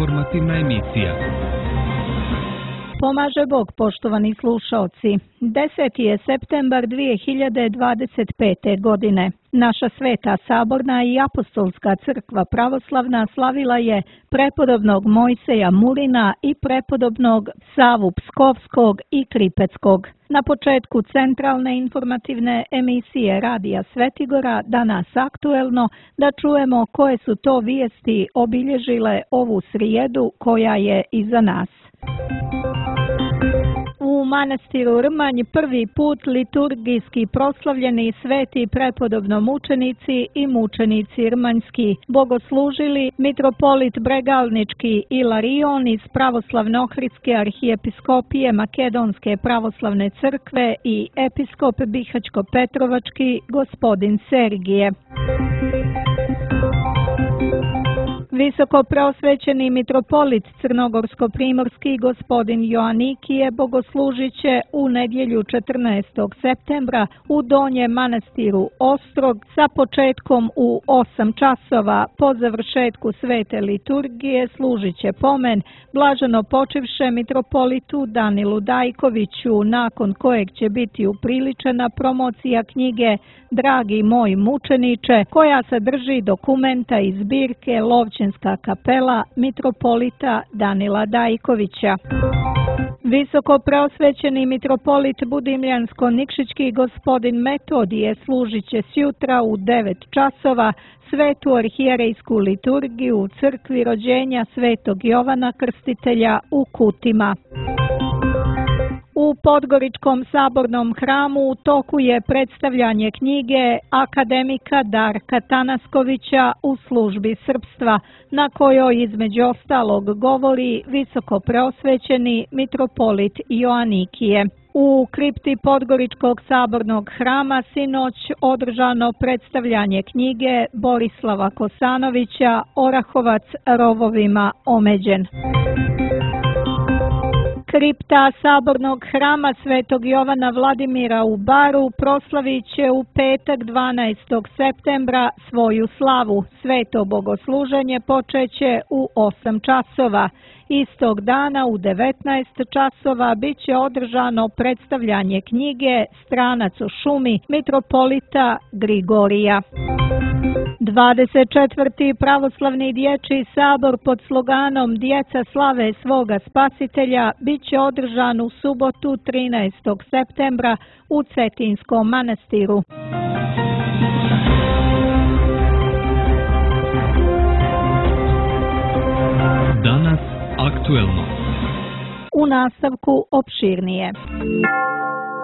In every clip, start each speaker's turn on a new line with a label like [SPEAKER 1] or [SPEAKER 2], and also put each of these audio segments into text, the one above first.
[SPEAKER 1] informativna emisija.
[SPEAKER 2] Pomaže Bog, poštovani slušaoci. 10. je septembar 2025. godine. Naša Sveta Saborna i Apostolska crkva pravoslavna slavila je prepodobnog Mojseja Murina i prepodobnog Savu Pskovskog i Kripeckog. Na početku centralne informativne emisije Radija Svetigora, danas aktuelno, da čujemo koje su to vijesti obilježile ovu srijedu koja je iza nas. U manastiru Rmanj prvi put liturgijski proslavljeni sveti prepodobno mučenici i mučenici rmanjski bogoslužili mitropolit Bregalnički Ilarion iz Pravoslavno-ohridske arhijepiskopije Makedonske pravoslavne crkve i episkop Bihaćko-Petrovački gospodin Sergije. Visoko preosvećeni mitropolit Crnogorsko-primorski gospodin Joanikije bogoslužit će u nedjelju 14. septembra u Donjem manastiru Ostrog sa početkom u 8 časova. Po završetku svete liturgije služit će pomen blaženo počivše mitropolitu Danilu Dajkoviću, nakon kojeg će biti upriličena promocija knjige Dragi moj mučeniče, koja sadrži dokumenta iz zbirke Lovćenska kapela mitropolita Danila Dajkovića. Visoko preosvećeni mitropolit Budimljansko-Nikšićki gospodin Metodije služit će sjutra u 9 časova svetu arhijerejsku liturgiju u crkvi rođenja svetog Jovana Krstitelja u Kutima. U Podgoričkom sabornom hramu u toku je predstavljanje knjige akademika Darka Tanaskovića u službi srpstva, na kojoj između ostalog govori visoko preosvećeni mitropolit Joanikije. U kripti Podgoričkog sabornog hrama sinoć održano predstavljanje knjige Borislava Kosanovića Orahovac rovovima omeđen. Kripta sabornog hrama svetog Jovana Vladimira u Baru proslavit će u petak 12. septembra svoju slavu. Sveto bogosluženje počeće u 8 časova. Istog dana u 19 časova bit će održano predstavljanje knjige Stranac u šumi mitropolita Grigorija. 24. pravoslavni dječji sabor pod sloganom Djeca slave svoga spasitelja bit će održan u subotu 13. septembra u Cetinskom manastiru.
[SPEAKER 1] Danas aktuelno.
[SPEAKER 2] U nastavku opširnije.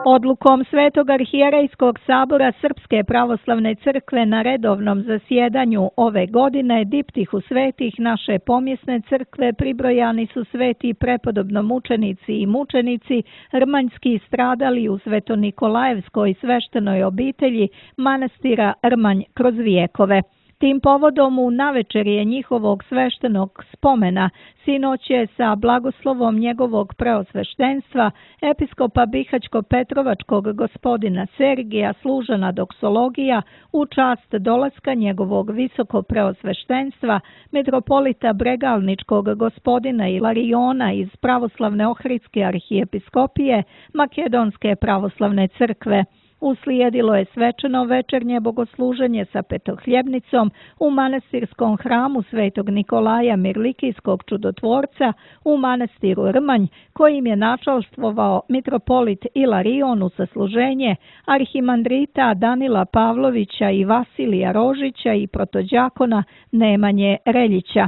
[SPEAKER 2] Odlukom Svetog arhijerejskog sabora Srpske pravoslavne crkve na redovnom zasjedanju ove godine diptihu svetih naše pomjesne crkve pribrojani su sveti prepodobno mučenici i mučenici rmanjski stradali u Sveto-Nikolajevskoj sveštenoj obitelji manastira Rmanj kroz vijekove. Tim povodom u navečerje njihovog sveštenog spomena sinoć je sa blagoslovom njegovog preosveštenstva episkopa Bihaćko-Petrovačkog gospodina Sergija služena doksologija u čast dolaska njegovog visoko preosveštenstva mitropolita Bregalničkog gospodina Ilariona iz Pravoslavne ohridske arhijepiskopije Makedonske pravoslavne crkve. Uslijedilo je svečano večernje bogosluženje sa petohljebnicom u manastirskom hramu svetog Nikolaja Mirlikijskog čudotvorca u manastiru Rmanj, kojim je načalstvovao mitropolit Ilarion u sasluženje arhimandrita Danila Pavlovića i Vasilija Rožića i protođakona Nemanje Reljića.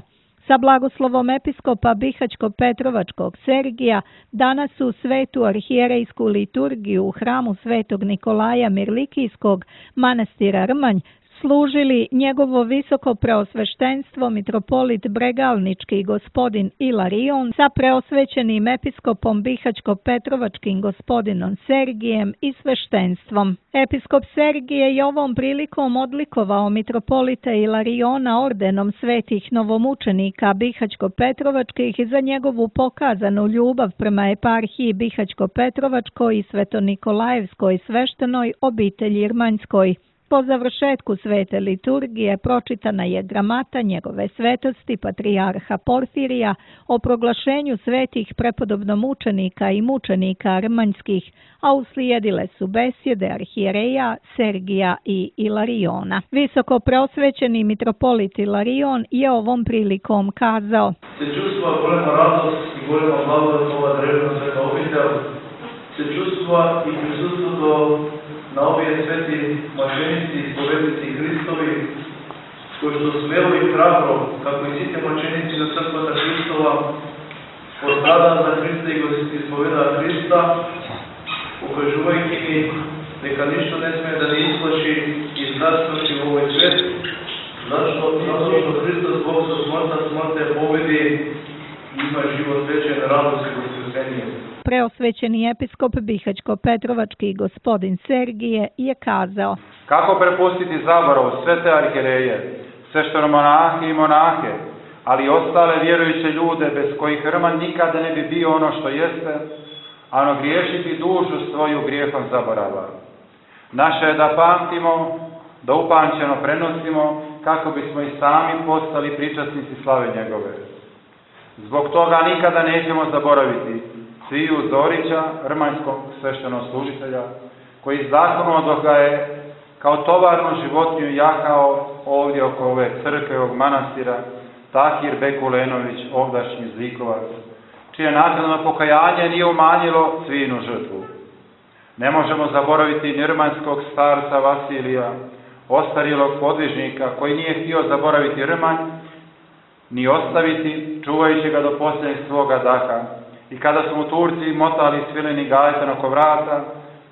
[SPEAKER 2] Sa blagoslovom episkopa Bihaćko-Petrovačkog Sergija danas u svetu arhijerejsku liturgiju u hramu svetog Nikolaja Mirlikijskog manastira Rmanj služili njegovo visoko preosveštenstvo mitropolit Bregalnički gospodin Ilarion sa preosvećenim episkopom Bihaćko-Petrovačkim gospodinom Sergijem i sveštenstvom. Episkop Sergije je ovom prilikom odlikovao mitropolita Ilariona ordenom svetih novomučenika Bihaćko-Petrovačkih za njegovu pokazanu ljubav prema eparhiji Bihaćko-Petrovačkoj i Sveto-Nikolajevskoj sveštenoj obitelji Rmanjskoj. Po završetku svete liturgije pročitana je gramata njegove svetosti patrijarha Porfirija o proglašenju svetih prepodobnomučenika i mučenika rmanjskih, a uslijedile su besjede arhijereja Sergija i Ilariona. Visoko preosvećeni mitropolit Ilarion je ovom prilikom kazao:
[SPEAKER 3] Se čustva golema radost i golema blagodat ova drevna sveta obitelj, se čustva i prisustvo na obje sveti mačenici i spovednici Hristovi, koji su smjelo i hrabro, kako i site mačenici za crkvata Hristova, postada za Hrista i ispoveda Hrista, ukažuvajući mi neka ništa ne smije da ne isplaši i zdravstvenosti u ovoj svet, zato što Hristos Bog sa smrte pobedi i ima život večer, radost i vaskrsenje.
[SPEAKER 2] Preosvećeni episkop Bihaćko-Petrovački gospodin Sergije je kazao:
[SPEAKER 4] kako prepustiti zaborav sve te arhijereje, sveštenomonahe i monahe, ali i ostale vjerujuće ljude bez kojih Rman nikada ne bi bio ono što jeste, a ono griješiti dušu svoju grijehom zaborava. Naše je da pamtimo, da upamćeno prenosimo, kako bismo i sami postali pričasnici slave njegove. Zbog toga nikada nećemo zaboraviti Cviju Zorića, rmanjskog sveštenoslужitelja, koji zakonom dok ga je kao tovarnu životinju jahao ovdje oko ove crkve, ovog manastira, Tahir Bekulenović, ovdašnji Zlikovac, čije naknadno pokajanje nije umanjilo Cvijinu žrtvu. Ne možemo zaboraviti ni rmanjskog starca Vasilija, ostarjelog podvižnika, koji nije htio zaboraviti Rmanj, ni ostaviti, čuvajući ga do posljednjeg svoga daha. I kada su mu Turci motali svileni gajtan oko vrata,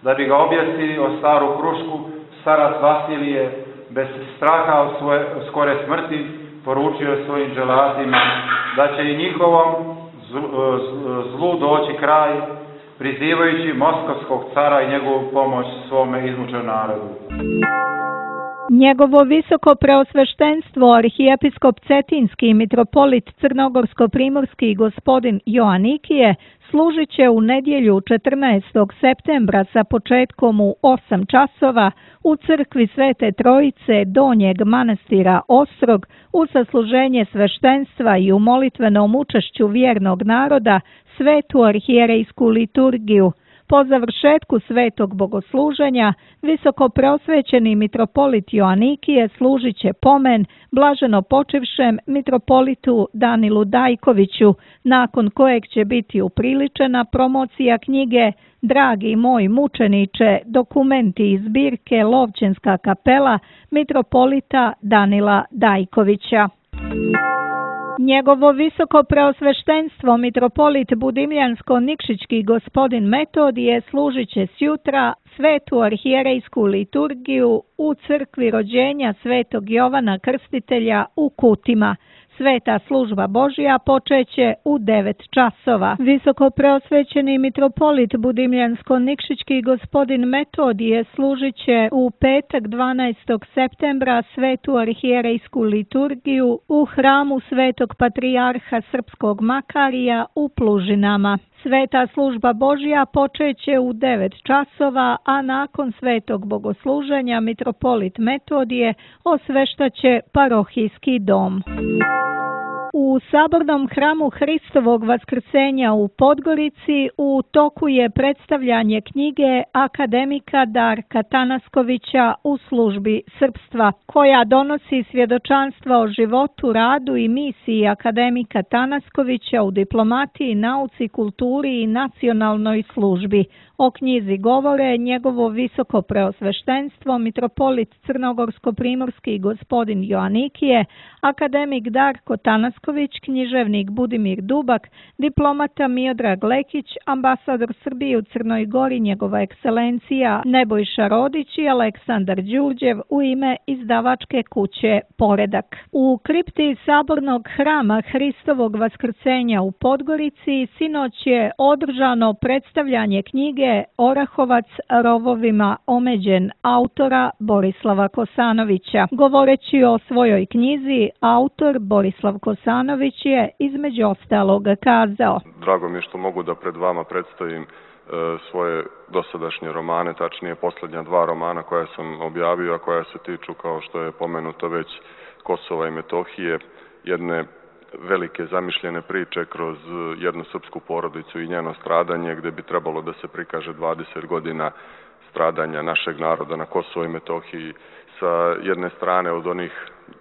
[SPEAKER 4] da bi ga objesili o staru krušku, starac Vasilije, bez straha od skore smrti, poručio je svojim dželatima da će i njihovom zlu doći kraj, prizivajući moskovskog cara i njegovu pomoć svome izmučenom narodu.
[SPEAKER 2] Njegovo visoko preosveštenstvo arhijepiskop Cetinski mitropolit Crnogorsko-primorski gospodin Joanikije služit će u nedjelju 14. septembra sa početkom u 8 časova u crkvi Svete Trojice Donjeg manastira Ostrog u sasluženje sveštenstva i u molitvenom učešću vjernog naroda svetu arhijerejsku liturgiju. Po završetku svetog bogosluženja, visoko preosvećeni mitropolit Joanikije služit će pomen blaženo počivšem mitropolitu Danilu Dajkoviću, nakon kojeg će biti upriličena promocija knjige Dragi moj mučeniče, dokumenti iz zbirke Lovćenska kapela mitropolita Danila Dajkovića. Njegovo visoko preosveštenstvo mitropolit Budimljansko-Nikšićki gospodin Metodije služit će sjutra svetu arhijerejsku liturgiju u crkvi rođenja svetog Jovana Krstitelja u Kutima. Sveta služba Božja počeće u 9 časova. Visoko preosvećeni mitropolit Budimljansko-Nikšićki gospodin Metodije služit će u petak 12. septembra svetu arhijerejsku liturgiju u hramu svetog patrijarha Srpskog Makarija u Plužinama. Sveta služba Božja počeće u 9 časova, a nakon svetog bogosluženja mitropolit Metodije osveštaće parohijski dom. U sabornom hramu Hristovog vaskrsenja u Podgorici u toku je predstavljanje knjige akademika Darka Tanaskovića U službi srpstva, koja donosi svjedočanstva o životu, radu i misiji akademika Tanaskovića u diplomatiji, nauci, kulturi i nacionalnoj službi. O knjizi govore njegovo visoko preosveštenstvo mitropolit Crnogorsko-primorski gospodin Joanikije, akademik Darko Tanasković, književnik Budimir Dubak, diplomata Miodrag Lekić, ambasador Srbije u Crnoj Gori njegova ekscelencija Nebojša Rodić i Aleksandar Đurđev u ime izdavačke kuće Poredak. U kripti sabornog hrama Hristovog vaskrsenja u Podgorici sinoć je održano predstavljanje knjige Orahovac rovovima omeđen autora Borislava Kosanovića. Govoreći o svojoj knjizi, autor Borislav Kosanović je između ostalog kazao:
[SPEAKER 5] Drago mi je što mogu da pred vama predstavim svoje dosadašnje romane, tačnije posljednja 2 romana koja sam objavio, a koja se tiču, kao što je pomenuto već, Kosova i Metohije, jedne velike zamišljene priče kroz jednu srpsku porodicu i njeno stradanje, gde bi trebalo da se prikaže 20 godina stradanja našeg naroda na Kosovo i Metohiji, sa jedne strane od onih,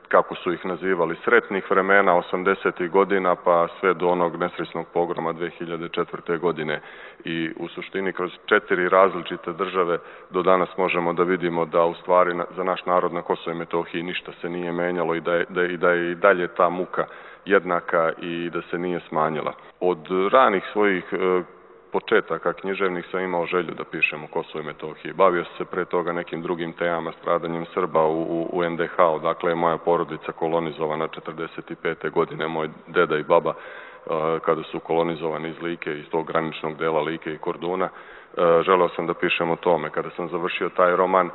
[SPEAKER 5] kako su ih nazivali, sretnih vremena 80. godina pa sve do onog nesrećnog pogroma 2004. godine. I u suštini kroz 4 različite države do danas možemo da vidimo da u stvari za naš narod na Kosovo i Metohiji ništa se nije menjalo i da je i dalje ta muka jednaka i da se nije smanjila. Od ranih svojih početaka književnih sam imao želju da pišem o Kosovu i Metohiji. Bavio sam se pre toga nekim drugim temama, stradanjem Srba u NDH, odakle je moja porodica kolonizovana 45. godine, moj deda i baba kada su kolonizovani iz Like, iz tog graničnog dela Like i Korduna. Želeo sam da pišem o tome. Kada sam završio taj roman,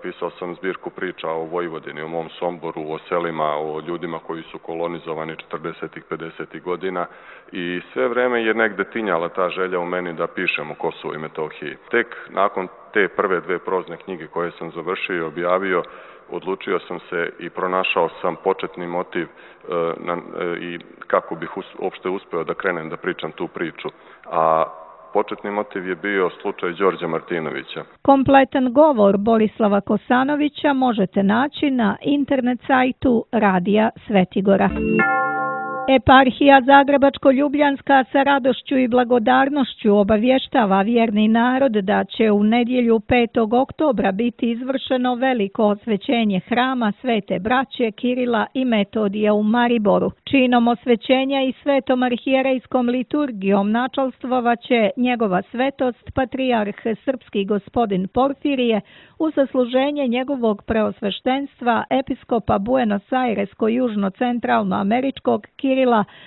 [SPEAKER 5] pisao sam zbirku priča o Vojvodini, o mom Somboru, o selima, o ljudima koji su kolonizovani 40. 50. godina i sve vreme je negde tinjala ta želja u meni da pišem o Kosovu i Metohiji. Tek nakon te prve 2 prozne knjige koje sam završio i objavio, odlučio sam se i pronašao sam početni motiv i kako bih uopšte uspeo da krenem da pričam tu priču. A početni motiv je bio slučaj Đorđa Martinovića.
[SPEAKER 2] Kompletan govor Borislava Kosanovića možete naći na internet sajtu Radija Svetigora. Eparhija Zagrebačko-Ljubljanska sa radošću i blagodarnošću obavještava vjerni narod da će u nedjelju 5. oktobra biti izvršeno veliko osvećenje hrama Svete braće Kirila i Metodija u Mariboru. Činom osvećenja i svetom arhijerejskom liturgijom načalstvovat njegova svetost patrijarh srpski gospodin Porfirije u zasluženje njegovog preosveštenstva episkopa Buenos Airesko-južno-centralno-američkog Kirila,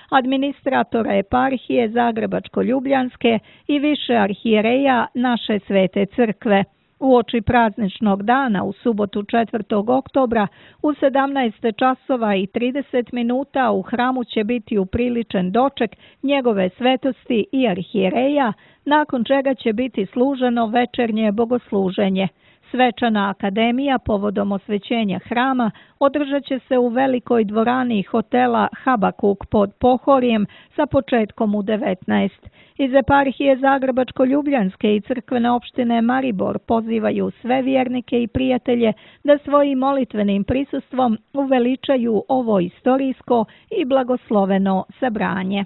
[SPEAKER 2] administratora eparhije Zagrebačko-Ljubljanske i više arhijereja naše Svete crkve. Uoči prazničnog dana u subotu 4. oktobra u 17 časova i 30 minuta u hramu će biti upriličen doček njegove svetosti i arhijereja, nakon čega će biti služeno večernje bogosluženje. Svečana akademija povodom osvećenja hrama održat će se u velikoj dvorani hotela Habakuk pod Pohorjem sa početkom u 19. Iz eparhije Zagrebačko-Ljubljanske i crkvene opštine Maribor pozivaju sve vjernike i prijatelje da svojim molitvenim prisustvom uveličaju ovo istorijsko i blagosloveno sabranje.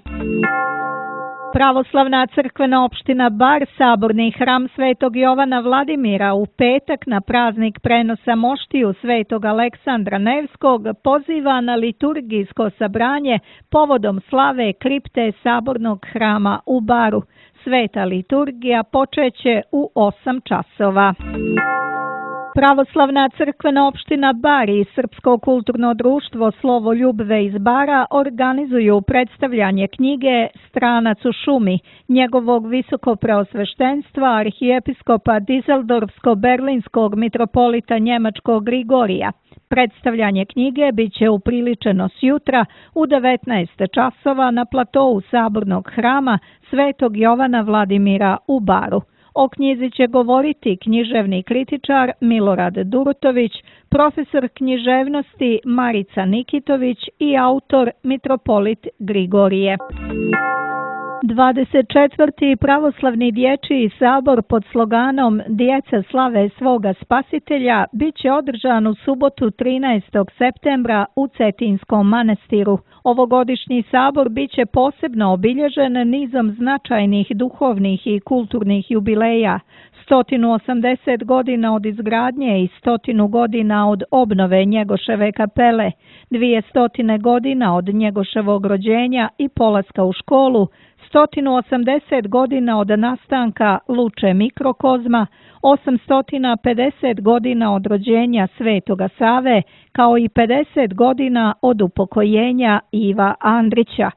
[SPEAKER 2] Pravoslavna crkvena opština Bar saborni hram Svetog Jovana Vladimira u petak na praznik prenosa moštiju Svetog Aleksandra Nevskog poziva na liturgijsko sabranje povodom slave kripte sabornog hrama u Baru. Sveta liturgija počeće u 8 časova. Pravoslavna crkvena opština Bar i Srpsko kulturno društvo Slovo Ljubve iz Bara organizuju predstavljanje knjige Stranac u šumi, njegovog visokopreosveštenstva arhijepiskopa Dizeldorfsko-berlinskog mitropolita njemačkog Grigorija. Predstavljanje knjige bit će upriličeno sjutra u 19 časova na platou sabornog hrama Svetog Jovana Vladimira u Baru. O knjizi će govoriti književni kritičar Milorad Durutović, profesor književnosti Marica Nikitović i autor mitropolit Grigorije. 24. pravoslavni dječji sabor pod sloganom Djeca slave svoga spasitelja bit će održan u subotu 13. septembra u Cetinskom manastiru. Ovogodišnji sabor bit će posebno obilježen nizom značajnih duhovnih i kulturnih jubileja. 180 godina od izgradnje i 100 godina od obnove Njegoševe kapele, 200 godina od Njegoševog rođenja i polaska u školu, 180 godina od nastanka Luče mikrokozma, 850 godina od rođenja Svetoga Save, kao i 50 godina od upokojenja Iva Andrića.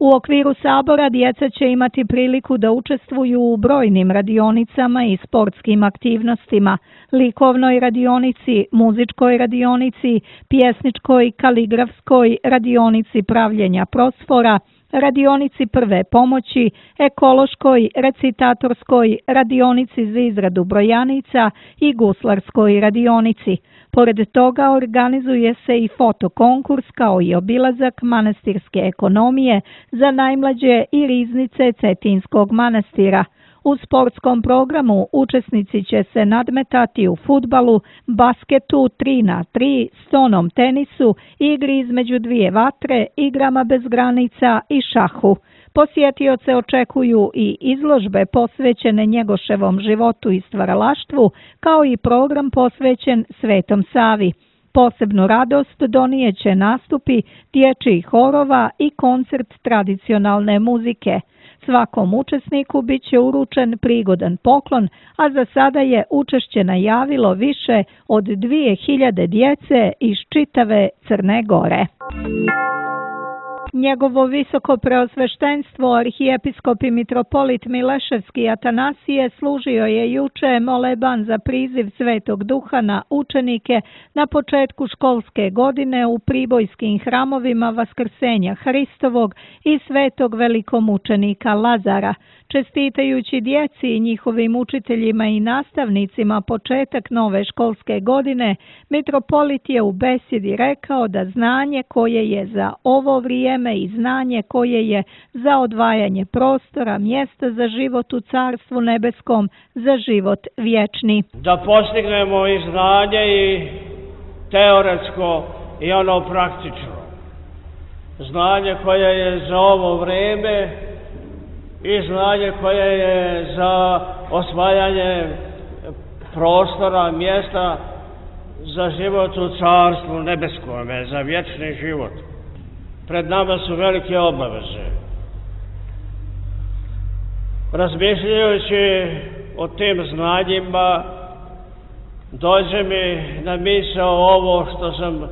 [SPEAKER 2] U okviru sabora djeca će imati priliku da učestvuju u brojnim radionicama i sportskim aktivnostima, likovnoj radionici, muzičkoj radionici, pjesničkoj, kaligrafskoj radionici pravljenja prosfora, radionici prve pomoći, ekološkoj, recitatorskoj, radionici za izradu brojanica i guslarskoj radionici. Pored toga organizuje se i fotokonkurs kao i obilazak manastirske ekonomije za najmlađe i riznice Cetinskog manastira. U sportskom programu učesnici će se nadmetati u fudbalu, basketu 3x3, stonom tenisu, igri između dvije vatre, igrama bez granica i šahu. Posjetioce očekuju i izložbe posvećene Njegoševom životu i stvaralaštvu, kao i program posvećen Svetom Savi. Posebnu radost donijeće nastupi dječjih horova i koncert tradicionalne muzike. Svakom učesniku bit će uručen prigodan poklon, a za sada je učešće najavilo više od 2000 djece iz čitave Crne Gore. Njegovo visoko preosveštenstvo arhijepiskop i mitropolit Mileševski Atanasije služio je juče moleban za priziv Svetog Duha na učenike na početku školske godine u pribojskim hramovima Vaskrsenja Hristovog i Svetog velikomučenika Lazara. Čestitajući djeci i njihovim učiteljima i nastavnicima početak nove školske godine, mitropolit je u besjedi rekao da znanje koje je za ovo vrijeme i znanje koje je za odvajanje prostora, mjesta za život u Carstvu nebeskom, za život vječni.
[SPEAKER 6] Da postignemo i znanje i teoretsko i ono praktično. Znanje koje je za ovo vrijeme i znanje koje je za osvajanje prostora, mjesta za život u Carstvu nebeskome, za vječni život. Pred nama su velike obaveze. Razmišljajući o tim znanjima, dođe mi na misao ovo što sam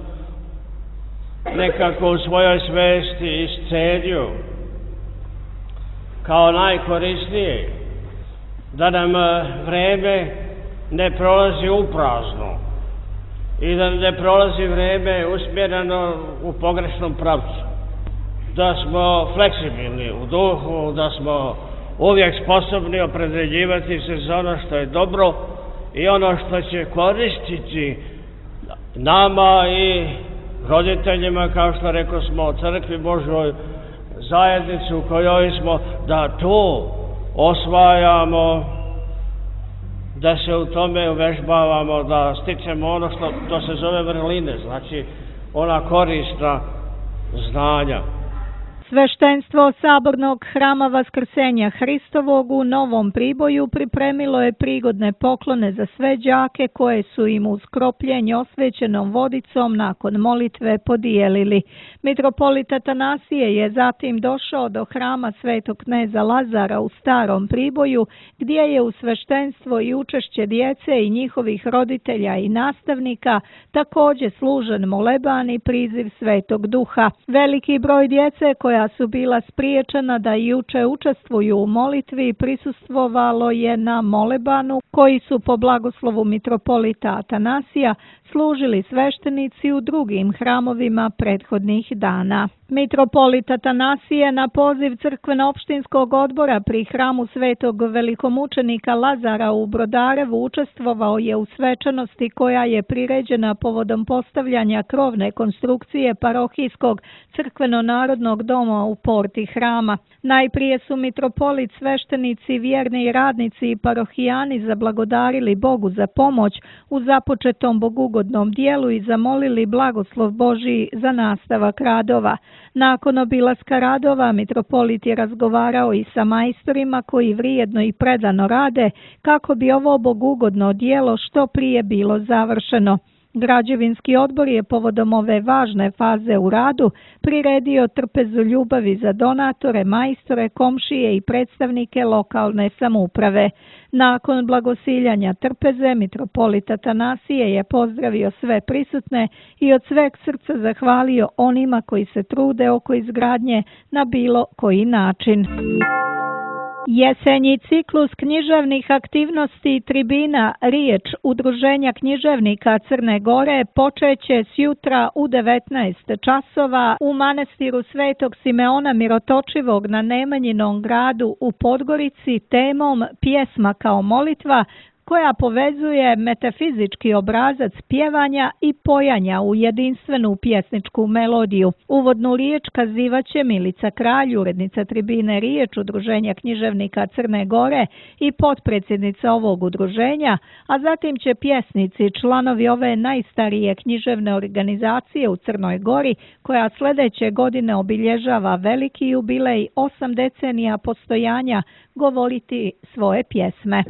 [SPEAKER 6] nekako u svojoj svesti iscenio kao najkorisnije, da nam vreme ne prolazi uprazno i da ne prolazi vreme usmjereno u pogrešnom pravcu. Da smo fleksibilni u duhu, da smo uvijek sposobni opredjeljivati se za ono što je dobro i ono što će koristiti nama i roditeljima, kao što rekao smo, crkvi Božoj, zajednicu u kojoj smo, da to osvajamo, da se u tome uvežbavamo, da stičemo ono što se zove vrline, znači ona korisna znanja.
[SPEAKER 2] Sveštenstvo Sabornog hrama Vaskrsenja Hristovog u Novom Priboju pripremilo je prigodne poklone za sve đake koje su im uz kropljenje osvećenom vodicom nakon molitve podijelili. Mitropolit Atanasije je zatim došao do hrama Svetog kneza Lazara u Starom Priboju, gdje je u sveštenstvo i učešće djece i njihovih roditelja i nastavnika također služen moleban i priziv Svetog Duha. Veliki broj djece koja su bila spriječena da juče učestvuju u molitvi prisustvovalo je na molebanu koji su po blagoslovu mitropolita Atanasija služili sveštenici u drugim hramovima prethodnih dana. Mitropolit Atanasije na poziv crkveno-opštinskog odbora pri hramu Svetog velikomučenika Lazara u Brodarevu učestvovao je u svečanosti koja je priređena povodom postavljanja krovne konstrukcije parohijskog crkveno-narodnog doma u porti hrama. Najprije su mitropolit, sveštenici, vjerni radnici i parohijani zablagodarili Bogu za pomoć u započetom bogugodnom dijelu i zamolili blagoslov Božiji za nastavak radova. Nakon obilaska radova, mitropolit je razgovarao i sa majstorima koji vrijedno i predano rade kako bi ovo bogugodno dijelo što prije bilo završeno. Građevinski odbor je povodom ove važne faze u radu priredio trpezu ljubavi za donatore, majstore, komšije i predstavnike lokalne samouprave. Nakon blagosiljanja trpeze, mitropolit Atanasije je pozdravio sve prisutne i od sveg srca zahvalio onima koji se trude oko izgradnje na bilo koji način. Jesenji ciklus književnih aktivnosti tribina Riječ Udruženja književnika Crne Gore počeće sjutra u 19 časova u manastiru Svetog Simeona Mirotočivog na Nemanjinom gradu u Podgorici temom Pjesma kao molitva, koja povezuje metafizički obrazac pjevanja i pojanja u jedinstvenu pjesničku melodiju. Uvodnu riječ kazivaće Milica Kralj, urednica tribine Riječ Udruženja književnika Crne Gore i potpredsjednica ovog udruženja, a zatim će pjesnici, članovi ove najstarije književne organizacije u Crnoj Gori, koja sljedeće godine obilježava veliki jubilej 8 decenija postojanja, govoriti svoje pjesme.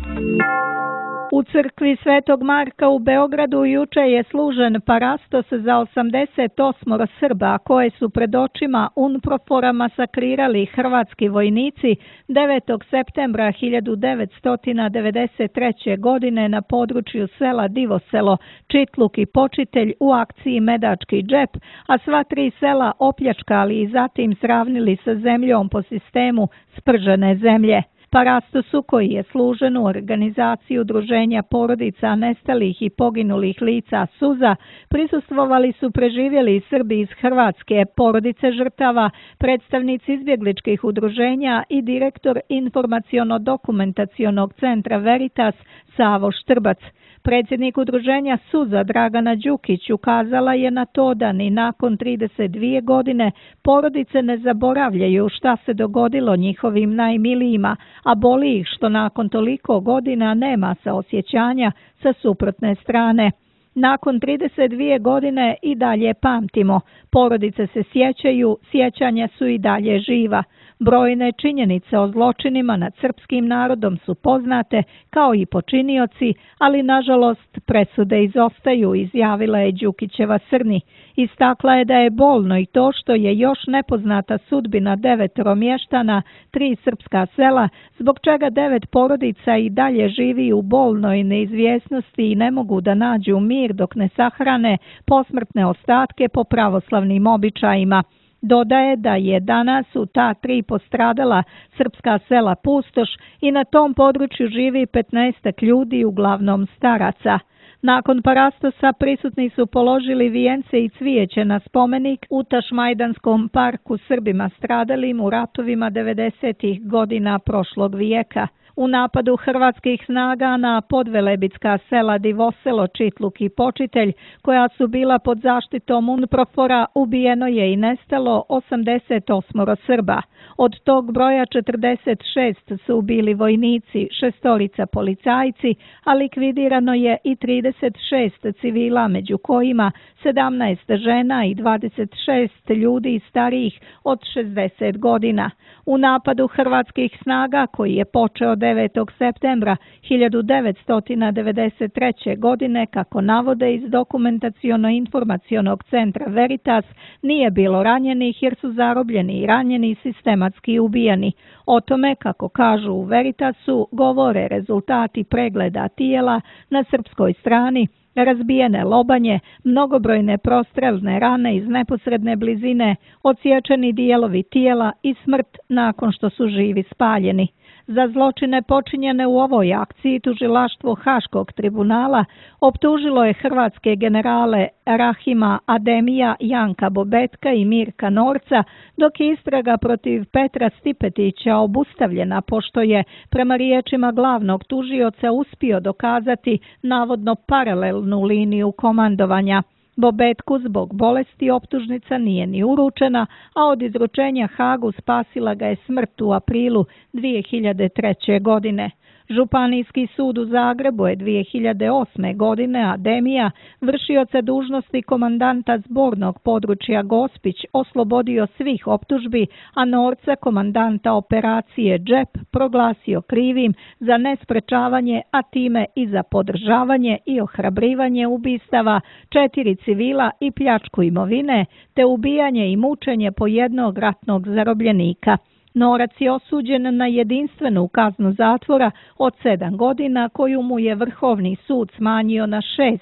[SPEAKER 2] U crkvi Svetog Marka u Beogradu juče je služen parastos za 88 Srba koje su pred očima UNPROFOR-a masakrirali hrvatski vojnici 9. septembra 1993. godine na području sela Divoselo, Čitluk i Počitelj u akciji Medački džep, a sva 3 sela opljačkali i zatim sravnili sa zemljom po sistemu spržene zemlje. Parastosu, koji je služen u organizaciji Udruženja porodica nestalih i poginulih lica Suza, prisustvovali su preživjeli Srbi iz Hrvatske, porodice žrtava, predstavnici izbjegličkih udruženja i direktor informaciono-dokumentacionog centra Veritas Savo Štrbac. Predsjednik udruženja Suza Dragana Đukić ukazala je na to da ni nakon 32 godine porodice ne zaboravljaju šta se dogodilo njihovim najmilijima, a boli ih što nakon toliko godina nema saosjećanja sa suprotne strane. Nakon 32 godine i dalje pamtimo, porodice se sjećaju, sjećanja su i dalje živa. Brojne činjenice o zločinima nad srpskim narodom su poznate, kao i počinioci, ali nažalost presude izostaju, izjavila je Đukićeva Srni. Istakla je da je bolno i to što je još nepoznata sudbina 9 mještana, 3 srpska sela, zbog čega 9 porodica i dalje živi u bolnoj neizvjesnosti i ne mogu da nađu mir dok ne sahrane posmrtne ostatke po pravoslavnim običajima. Dodaje da je danas u ta 3 postradala srpska sela pustoš i na tom području živi 15 ljudi, uglavnom staraca. Nakon parastosa prisutni su položili vijence i cvijeće na spomenik u Tašmajdanskom parku Srbima stradalim u ratovima 90. godina prošlog vijeka. U napadu hrvatskih snaga na podvelebitska sela Divoselo, Čitluk i Počitelj, koja su bila pod zaštitom UNPROFOR-a, ubijeno je i nestalo 88 Srba. Od tog broja 46 su bili vojnici, 6 policajci, a likvidirano je i 36 civila, među kojima 17 žena i 26 ljudi starijih od 60 godina. U napadu hrvatskih snaga, koji je počeo 9. septembra 1993. godine, kako navode iz dokumentaciono-informacionog centra Veritas, nije bilo ranjenih jer su zarobljeni i ranjeni sistematski ubijani. O tome, kako kažu u Veritasu, govore rezultati pregleda tijela na srpskoj strani, razbijene lobanje, mnogobrojne prostrelne rane iz neposredne blizine, odsječeni dijelovi tijela i smrt nakon što su živi spaljeni. Za zločine počinjene u ovoj akciji tužilaštvo Haškog tribunala optužilo je hrvatske generale Rahima Ademija, Janka Bobetka i Mirka Norca, dok je istraga protiv Petra Stipetića obustavljena pošto je, prema riječima glavnog tužioca, uspio dokazati navodno paralelnu liniju komandovanja. Bobetku zbog bolesti optužnica nije ni uručena, a od izručenja Hagu spasila ga je smrt u aprilu 2003. godine. Županijski sud u Zagrebu je 2008. godine Ademija, vršioca dužnosti komandanta zbornog područja Gospić, oslobodio svih optužbi, a Norca, komandanta operacije Džep, proglasio krivim za nesprečavanje, a time i za podržavanje i ohrabrivanje ubistava 4 civila i pljačku imovine, te ubijanje i mučenje po jednog ratnog zarobljenika. Norac je osuđen na jedinstvenu kaznu zatvora od 7 godina, koju mu je Vrhovni sud smanjio na 6.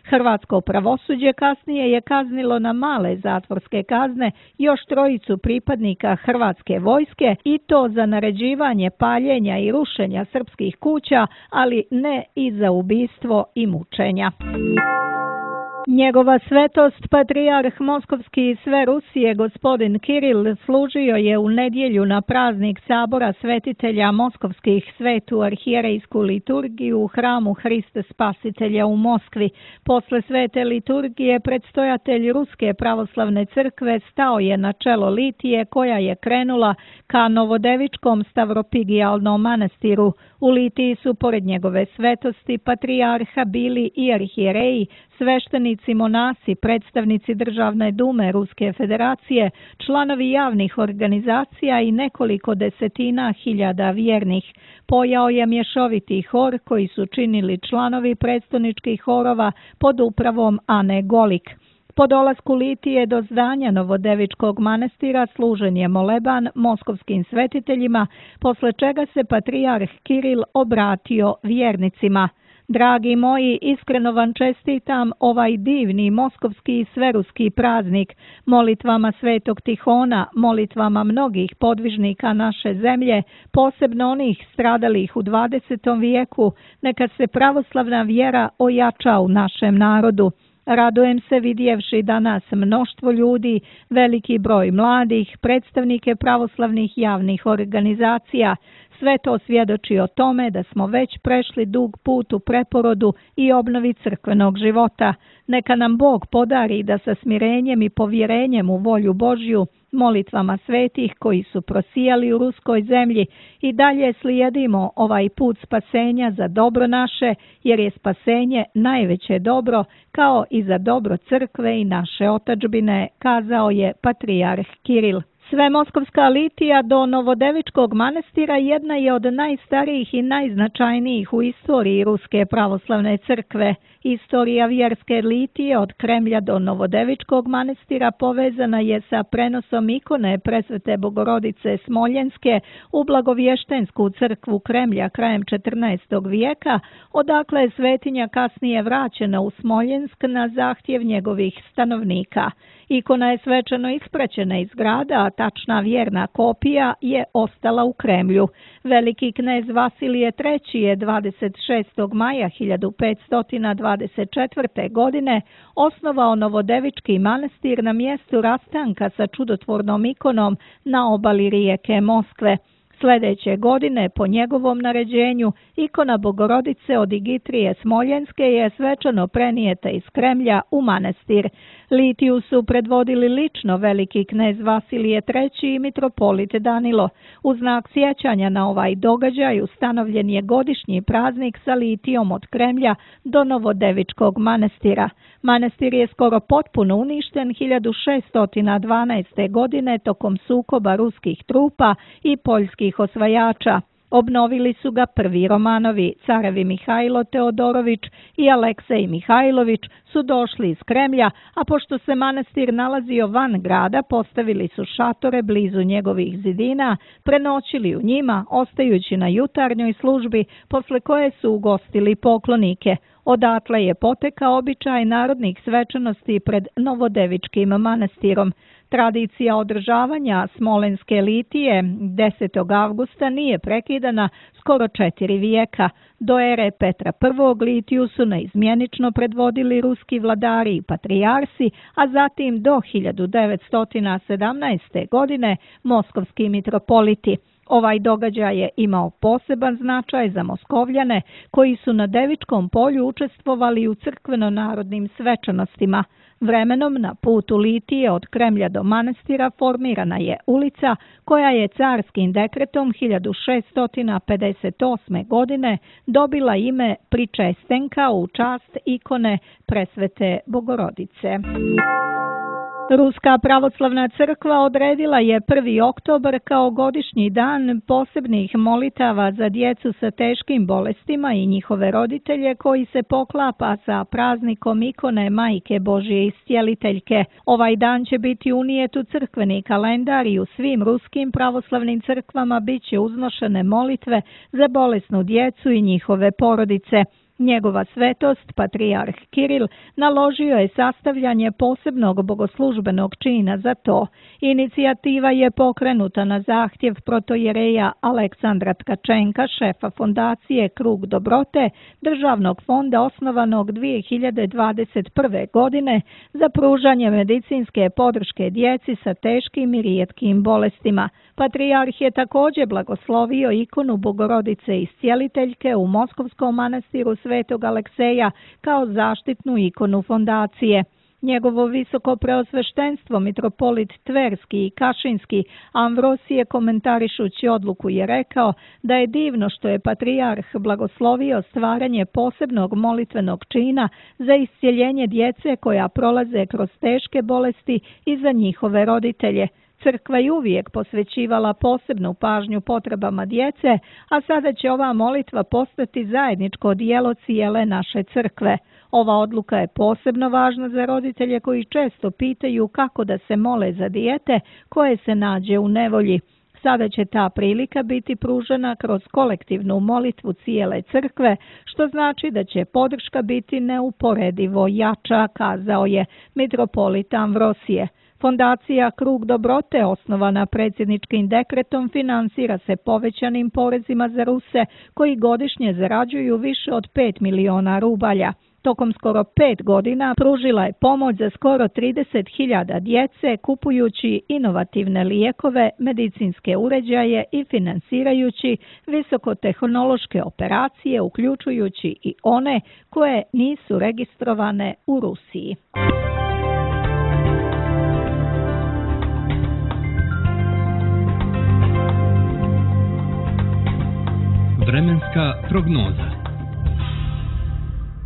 [SPEAKER 2] Hrvatsko pravosuđe kasnije je kaznilo na male zatvorske kazne još 3 pripadnika hrvatske vojske i to za naređivanje paljenja i rušenja srpskih kuća, ali ne i za ubistvo i mučenja. Njegova svetost, patrijarh Moskovski i sve Rusije, gospodin Kiril, služio je u nedjelju na praznik Sabora svetitelja Moskovskih svetu arhijerejsku liturgiju u hramu Hrista Spasitelja u Moskvi. Posle svete liturgije predstojatelj Ruske pravoslavne crkve stao je na čelo litije koja je krenula ka Novodevičkom stavropigijalnom manastiru. U litiji su pored njegove svetosti patrijarha bili i arhijereji, sveštenici, monasi, predstavnici Državne dume Ruske federacije, članovi javnih organizacija i nekoliko desetina hiljada vjernih. Pojao je mješoviti hor koji su činili članovi predstavničkih horova pod upravom Ane Golik. Po dolasku litije do zdanja Novodevičkog manastira služen je moleban moskovskim svetiteljima, posle čega se patrijarh Kiril obratio vjernicima. Dragi moji, iskreno vam čestitam ovaj divni moskovski i sveruski praznik. Molitvama Svetog Tihona, molitvama mnogih podvižnika naše zemlje, posebno onih stradalih u 20. vijeku, neka se pravoslavna vjera ojača u našem narodu. Radujem se vidjevši danas mnoštvo ljudi, veliki broj mladih, predstavnike pravoslavnih javnih organizacija. Sve to svjedoči o tome da smo već prešli dug put u preporodu i obnovi crkvenog života. Neka nam Bog podari da sa smirenjem i povjerenjem u volju Božju, molitvama svetih koji su prosijali u ruskoj zemlji i dalje slijedimo ovaj put spasenja za dobro naše, jer je spasenje najveće dobro, kao i za dobro crkve i naše otadžbine, kazao je patrijarh Kiril. Svemoskovska litija do Novodevičkog manastira jedna je od najstarijih i najznačajnijih u istoriji Ruske pravoslavne crkve. Istorija vjerske litije od Kremlja do Novodevičkog manastira povezana je sa prenosom ikone Presvete Bogorodice Smoljenske u Blagovještensku crkvu Kremlja krajem 14. vijeka, odakle je svetinja kasnije vraćena u Smoljensk na zahtjev njegovih stanovnika. Ikona je svečano ispraćena iz grada, a tačna vjerna kopija je ostala u Kremlju. Veliki knez Vasilije III je 26. maja 1524. godine osnovao Novodevički manastir na mjestu rastanka sa čudotvornom ikonom na obali rijeke Moskve. Sljedeće godine, po njegovom naređenju, ikona Bogorodice od Igitrije Smoljenske je svečano prenijeta iz Kremlja u manastir. Litiju su predvodili lično veliki knez Vasilije III i mitropolit Danilo. U znak sjećanja na ovaj događaj ustanovljen je godišnji praznik sa litijom od Kremlja do Novodevičkog manastira. Manastir je skoro potpuno uništen 1612. godine tokom sukoba ruskih trupa i poljskih osvajača. Obnovili su ga prvi Romanovi, carevi Mihajlo Teodorović i Aleksej Mihajlović su došli iz Kremlja, a pošto se manastir nalazio van grada, postavili su šatore blizu njegovih zidina, prenoćili u njima, ostajući na jutarnjoj službi, posle koje su ugostili poklonike. Odatle je potekao običaj narodnih svečanosti pred Novodevičkim manastirom. Tradicija održavanja Smolenske litije 10. avgusta nije prekidana skoro 4 vijeka. Do ere Petra I. litiju su neizmjenično predvodili ruski vladari i patrijarsi, a zatim do 1917. godine moskovski mitropoliti. Ovaj događaj je imao poseban značaj za Moskovljane koji su na Devičkom polju učestvovali u crkveno-narodnim svečanostima. Vremenom na putu litije od Kremlja do manastira formirana je ulica koja je carskim dekretom 1658. godine dobila ime Pričestenka u čast ikone Presvete Bogorodice. Ruska pravoslavna crkva odredila je 1. oktobar kao godišnji dan posebnih molitava za djecu sa teškim bolestima i njihove roditelje koji se poklapa sa praznikom ikone Majke Božje Iscijeliteljke. Ovaj dan će biti unijet u crkveni kalendar i u svim ruskim pravoslavnim crkvama bit će uznošene molitve za bolesnu djecu i njihove porodice. Njegova svetost, patrijarh Kiril, naložio je sastavljanje posebnog bogoslužbenog čina za to. Inicijativa je pokrenuta na zahtjev protojereja Aleksandra Tkačenka, šefa fondacije Krug dobrote, državnog fonda osnovanog 2021. godine za pružanje medicinske podrške djeci sa teškim i rijetkim bolestima. Patrijarh je također blagoslovio ikonu Bogorodice Iscijeliteljke u Moskovskom manastiru Svetog Alekseja kao zaštitnu ikonu fondacije. Njegovo visoko preosveštenstvo mitropolit Tverski i Kašinski Amvrosije komentarišući odluku je rekao da je divno što je patrijarh blagoslovio stvaranje posebnog molitvenog čina za iscjeljenje djece koja prolaze kroz teške bolesti i za njihove roditelje. Crkva je uvijek posvećivala posebnu pažnju potrebama djece, a sada će ova molitva postati zajedničko djelo cijele naše crkve. Ova odluka je posebno važna za roditelje koji često pitaju kako da se mole za dijete koje se nađe u nevolji. Sada će ta prilika biti pružena kroz kolektivnu molitvu cijele crkve, što znači da će podrška biti neuporedivo jača, kazao je mitropolit Amvrosije. Fondacija Krug dobrote, osnovana predsjedničkim dekretom, finansira se povećanim porezima za Ruse koji godišnje zarađuju više od 5 miliona rubalja. Tokom skoro 5 godina pružila je pomoć za skoro 30.000 djece kupujući inovativne lijekove, medicinske uređaje i finansirajući visokotehnološke operacije, uključujući i one koje nisu registrovane u Rusiji.
[SPEAKER 1] Vremenska prognoza.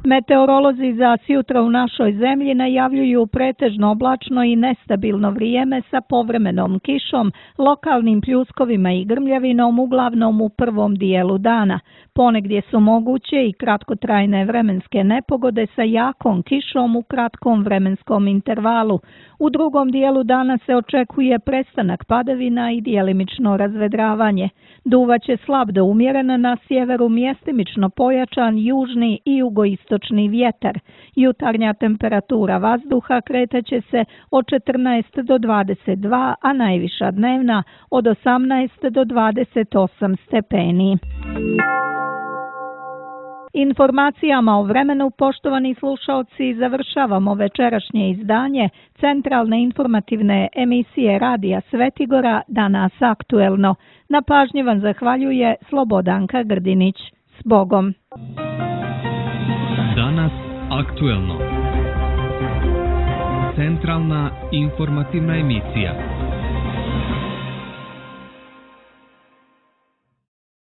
[SPEAKER 2] Meteorolozi za sutra u našoj zemlji najavljuju pretežno oblačno i nestabilno vrijeme sa povremenom kišom, lokalnim pljuskovima i grmljavinom uglavnom u prvom dijelu dana. Ponegdje su moguće i kratkotrajne vremenske nepogode sa jakom kišom u kratkom vremenskom intervalu. U drugom dijelu dana se očekuje prestanak padavina i djelimično razvedravanje. Duvaće slab do umjeren, na sjeveru mjestimično pojačan južni i jugoistočni vjetar. Jutarnja temperatura vazduha kretaće se od 14 do 22, a najviša dnevna od 18 do 28 stepeni. Informacijama o vremenu, poštovani slušaoci, završavamo večerašnje izdanje centralne informativne emisije Radija Svetigora Danas aktuelno. Na pažnji vam zahvaljuje Slobodanka Grdinić. S Bogom!
[SPEAKER 1] Danas aktuelno. Centralna informativna emisija.